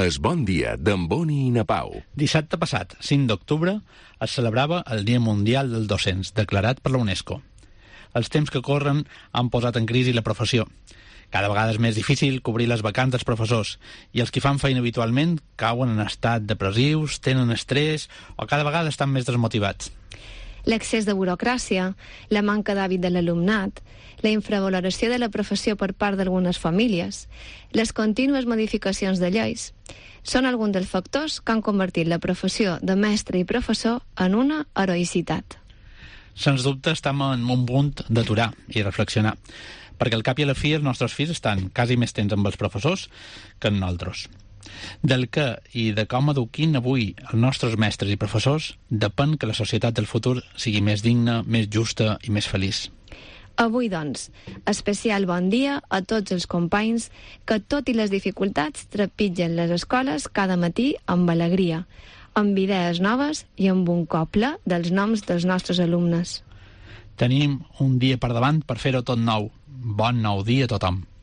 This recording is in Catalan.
Es Bon Dia d'en Boni i na Pau. Dissabte passat, 5 d'octubre, es celebrava el Dia Mundial dels Docents, declarat per la UNESCO. Els temps que corren han posat en crisi la professió. Cada vegada és més difícil cobrir les vacants dels professors i els que fan feina habitualment cauen en estat depressius, tenen estrès o cada vegada estan més desmotivats. L'excés de burocràcia, la manca d'hàbit de l'alumnat, la infravaloració de la professió per part d'algunes famílies, les contínues modificacions de lleis, són alguns dels factors que han convertit la professió de mestre i professor en una heroïcitat. Sens dubte estem en un punt d'aturar i reflexionar, perquè al cap i a la fi els nostres fills estan quasi més temps amb els professors que amb nosaltres. Del què i de com eduquin avui els nostres mestres i professors depèn que la societat del futur sigui més digna, més justa i més feliç. Avui, doncs, especial bon dia a tots els companys que, tot i les dificultats, trepitgen les escoles cada matí amb alegria, amb idees noves i amb un coble dels noms dels nostres alumnes. Tenim un dia per davant per fer-ho tot nou. Bon nou dia a tothom.